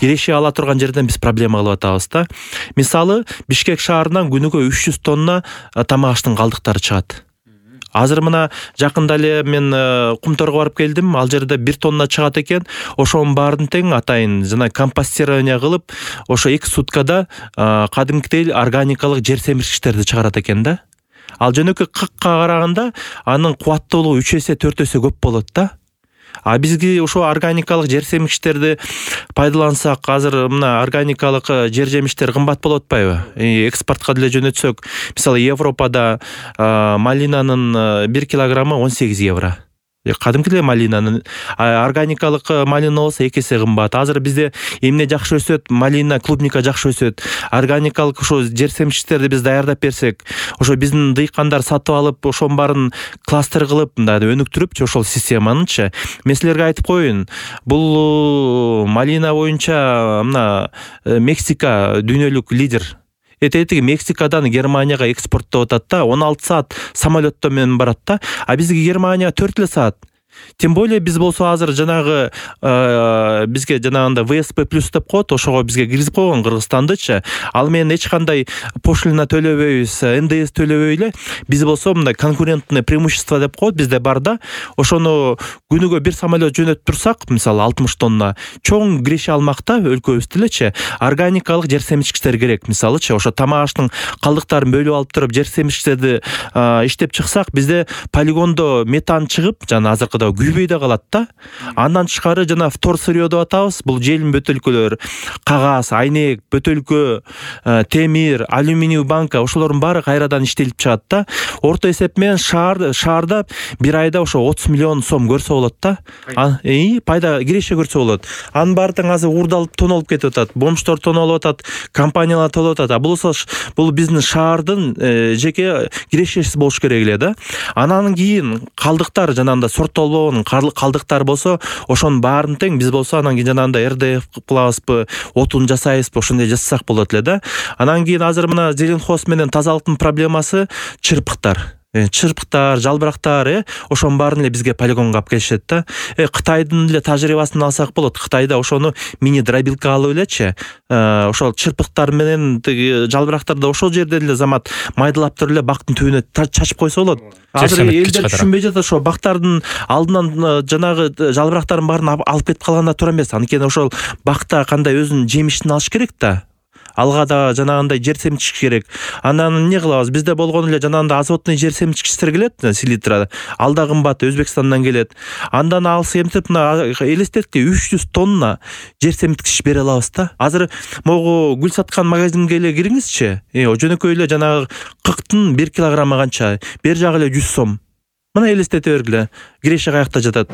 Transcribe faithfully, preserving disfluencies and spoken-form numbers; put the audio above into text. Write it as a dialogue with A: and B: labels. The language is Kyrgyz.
A: киреши ала турган жерден биз проблема кылып атабыз да. Мисалы, Бишкек шаарынан күнүгө үч жүз тонна тамак аштын калдыктары чыгат. Азыр мына жакында эле мен Кумторго барып келдим. Ал жерде бир тонна чыгат экен. Ошонун баарын тең атайын жана компостирование кылып, ошо эки суткада кадимкидей органикалык жер семирткичтерди чыгарат экен да. Ал жөнөкөй кыкка караганда анын кубаттуулугу үч эсе төрт эсе көп болот да. А бизге ошо органикалык жер семирткичтерди пайдалансак, азыр мына органикалык жер жемиштер кымбат болуп атпайбы? Экспортко деле жөнөтсөк, мисалы Европада малинанын бир килограммы он сегиз евро. Кадимкидей малинанын, органикалык малина болсо эки эсе кымбат. Азыр бизде эмне жакшы өсөт? Малина, клубника жакшы өсөт. Органикалык ошо жер семирткичтерди биз даярдап берсек, ошо биздин дыйкандар сатып алып, ошонун баарын кластер кылып, мындай өнүктүрүпчү ошол системанычы. Мен силерге айтып коеюн, бул малина боюнча мына Мексика дүйнөлүк лидер. Этетиги Мексикадан Германияга экспорттоп атат да, он алты саат самолетто менен барат да, а бизге Германия төрт эле саат. Тем более биз болсо азыр жанагы бизге жанагында вэ эс пэ плюс деп коет, ошого бизге киргизип койгон Кыргызстандычы. Ал менен эч кандай пошлина төлөбөйбүз, эн дэ эс төлөбөй эле. Биз болсо мындай конкурентное преимущество деп коет бизде бар да. Ошону күнүгө бир самолет жөнөтүп турсак, мисалы алтымыш тонна, чоң киреши алмакта өлкөбүздө элечи органикалык жер семирткичтер керек. Мисалычы ошо тамак аштын калдыктарын бөлүп алып туруп жер семирткичтерди иштеп чыксак, бизде полигондо метан чыгып, жана азыркыда күйбөй да калат да. Андан тышкары жана втор сырье деп атабыз. Бул желим бөтөлкөлөр, кагаз, айнек, бөтөлкө, темир, алюминий банка, ошолордун баары кайрадан иштелип чыгат да. Орто эсеп менен шаар шаарда бир айда ошо отуз миллион сом көрсө болот да. И пайда киреше көрсө болот. Анын баары тең азыр уурдалып тонолуп кетип атат. Бомждор тонолуп атат, компаниялар тонолуп атат. А бул бул биздин шаардын жеке кирешеси болуш керек эле да. Анан кийин калдыктар жанагында сорттолбогон калдыктар болсо, ошонун баарын тең биз болсо анан кийин жанагында эр дэ эф кылабызбы, отун жасайбызбы, ошондой жасасак болот эле да. Анан кийин азыр мына Зеленхоз менен тазалыктын проблемасы чырпыктар. Чырпыктар, жалбырактар, э, ошонун баарын эле бизге полигонго алып келишет да. Э, Кытайдын эле тажрыйбасын алсак болот. Кытайда ошону мини дробилка алып элечи, ошол чырпыктар менен жалбырактарды ошол жерден эле замат майдалап туруп эле бактын түбүнө чачып койсо болот. Азыр элдер түшүнбөй жатат, ошо бактардын алдынан жанагы жалбырактардын баарын алып кетип калганда туура эмес. Анткени ошол бакта кандай өзүнүн жемишин алыш керек да. Алга да жанагындай жер семирткич керек. Анан эмне кылабыз? Бизде болгон эле жанагында азотный жер семирткичтер келет, селитра. Ал да кымбат, Өзбекстандан келет. Андан алыс эмтип мына элестетки үч жүз тонна жер семирткич бере алабыз да. Азыр могу гүл саткан магазинге эле кириңизчи. Э, жөнөкөй эле жанагы кыктын бир килограммы канча? Бер жагы эле жүз сом. Мына элестете бергиле. Киреше каякта жатат?